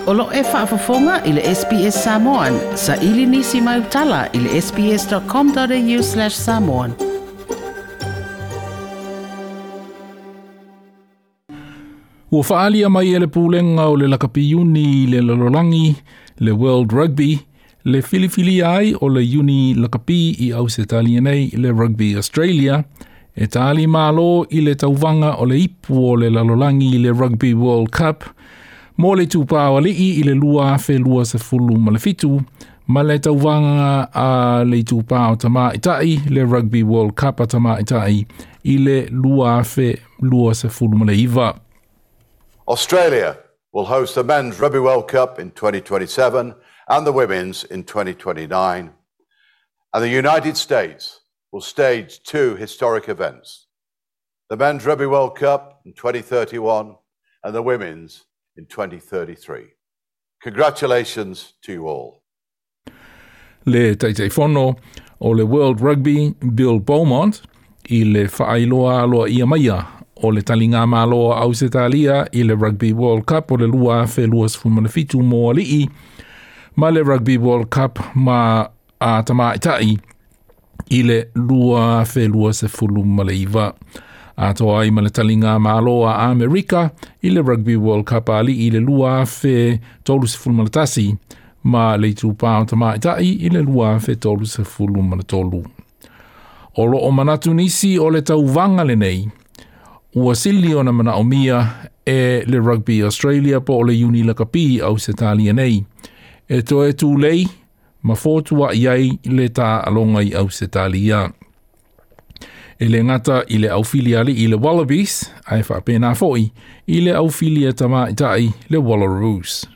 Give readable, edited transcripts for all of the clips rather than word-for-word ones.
O lo e faafofoga i le SBS Samoan. Saili nisi mai utala i le sbs.com.au/samoan. Ua faalia mai e le pulega o le lakapi iuni i le lalolagi, le World Rugby, le filifilia ai o le iuni lakapi i Ausetalia nei, le Rugby Australia, e tali malo i le tauvaga o le ipu o le lalolagi i le Rugby World Cup, mo le itupa o alii i le 2027, ma le tauvaga a le itupa o tamaitai, le Rugby World Cup a tamaitai i le 2029. Australia will host the Men's Rugby World Cup in 2027 and the Women's in 2029. And the United States will stage two historic events, the Men's Rugby World Cup in 2031 and the Women's in 2033. Congratulations to you all. Le Taitaifono o le World Rugby, Bill Beaumont, i le faailoa aloaia maia o le taligamalo a Ausetalia i le Rugby World Cup o le 2027 mo alii ma le Rugby World Cup ma a tamaitai i le 2029. Atoa ai ma le taligamalo a Amerika i le Rugby World Cup a alii i le 2031 ma le itupa o tamaitai i le 2033. O loo manatu nisi o le tauvaga lenei, ua sili ona manaomia e le Rugby Australia po o le iuni lakapi Ausetalia nei, e toe tulei ma fotua'i ai le taaloga i Ausetalia. E le gata i le aufili alii le Wallabies, ae faapena fo'i i le aufili a tamaitai le Wallaroos.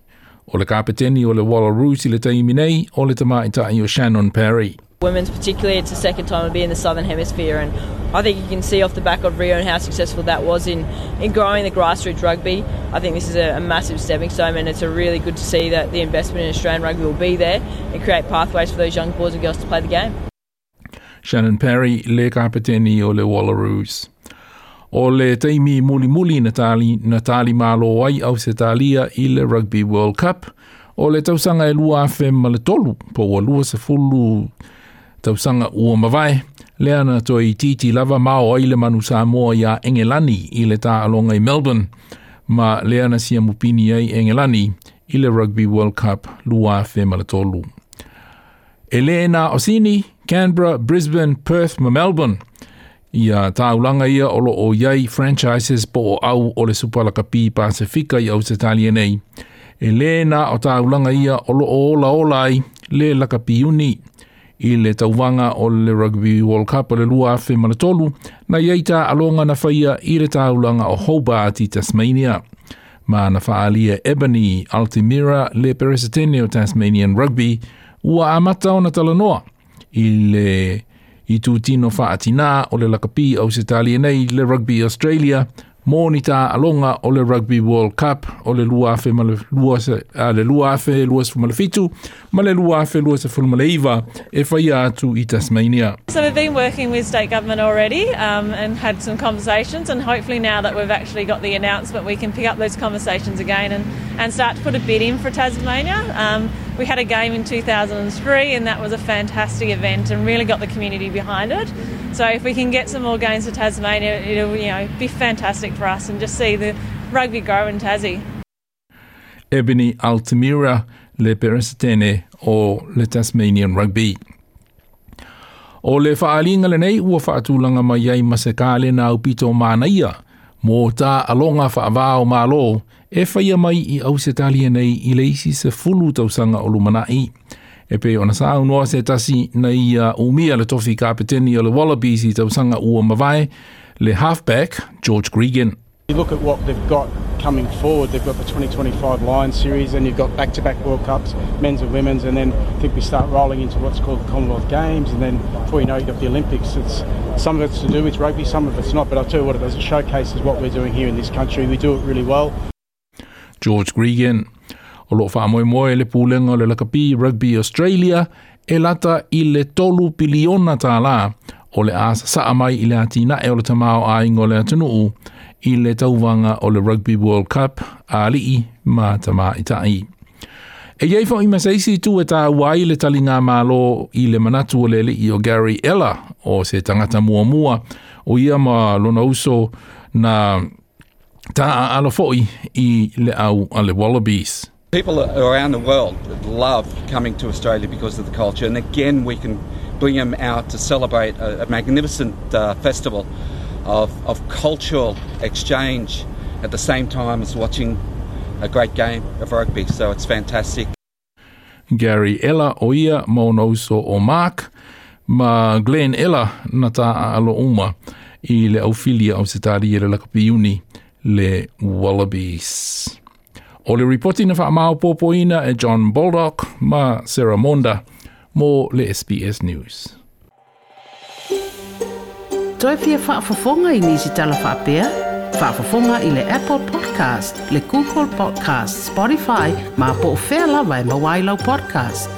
O le kapeteni o le Wallaroos i le taimi nei o le tamaitai o Shannon Parry. Women's particularly, it's the second time we'll be in the Southern Hemisphere, and I think you can see off the back of Rio and how successful that was in growing the grassroots rugby. I think this is a massive stepping stone, and it's a really good to see that the investment in Australian rugby will be there and create pathways for those young boys and girls to play the game. Shannon Parry le kapeteni o le Wallaroos. O le taimi mulimuli na tali malo ai Ausetalia i le Rugby World Cup, o le tausaga e 2003, po ua 20 tausaga ua mavae, lea na toeitiiti lava mao ai le manu Samoa iā Engelani i le taaloga i Melbourne, ma lea na siamupini ai Engelani i le Rugby World Cup 2003. E le na o Sydney, Canberra, Brisbane, Perth ma Melbourne. Ia taulaga ia o loo iai franchises po o au o le Supalakapi Pasifika i Ausetalia nei. E le na o taulaga ia o loo ola ola ai le lakapi iuni i le tauvaga o le Rugby World Cup o le 2003 na iai taaloga na faia i le taulaga o Hobart i Tasmania. Ma na faaalia Ebony Altimira le peresetene o Tasmanian Rugby ua amata ona talanoa i le itutino faatinā o le lakapi Ausetalia nei le Rugby Australia mo ni taaloga o le Rugby World Cup o le 2002 le 2027 ma le 2029 e faia atu i Tasmania. So we've been working with state government already and had some conversations, and hopefully now that we've actually got the announcement, we can pick up those conversations again and start to put a bid in for Tasmania. We had a game in 2003 and that was a fantastic event and really got the community behind it. So if we can get some more games to Tasmania, it'll be fantastic for us and just see the rugby grow in Tassie. Ebony Altimira le peresetene o le Tasmanian Rugby. O le faaliga lenei ua faatulaga mai ai ma se kalena aupito manaia mo taaloga faava o malo e faia mai i Ausetalia nei i le isi 10 tausaga o lumanai. E pei ona saunoa se tasi na ia umia le tofi kapeteni o le Wallabies i tausaga ua mavae, le halfback George Gregan. You look at what they've got coming forward, they've got the 2025 Lions series and you've got back-to-back World Cups, men's and women's, and then I think we start rolling into what's called the Commonwealth Games, and then before you know it, you've got the Olympics. It's some of it's to do with rugby, some of it's not, but I'll tell you what it does, it showcases what we're doing here in this country. We do it really well. George Gregan. O loo faamoemoe le pulega o le lakapi Rugby Australia e lata i le 3 piliona tālā o le a sasaa mai i le atinae o le tamaoaiga o le atunuu i le tauvaga o le Rugby World Cup a alii ma tamaitai. E i ai fo'i ma se isi itu e tāua ai le taligamalo i le manatu o le alii o Gary Ella o se tagata muamua o ia ma lona uso na taaalo fo'i i le au a le Wallabies. People around the world love coming to Australia because of the culture, and again, we can bring them out to celebrate a magnificent festival of cultural exchange at the same time as watching a great game of rugby. So it's fantastic. Gary Ella o ia ma ona uso o Mark ma Glenn Ella na taaalo uma i le aufili a Ausetalia i le lakapi iuni le Wallabies. O le ripoti na faamaopoopoina e John Baldock ma Sarah Monda mo le SBS News. Toe fia faafofoga i nisi tala faapea? Faafofoga i le Apple Podcast, le Google Podcast, Spotify, ma po o fea lava e maua ai lau podcast.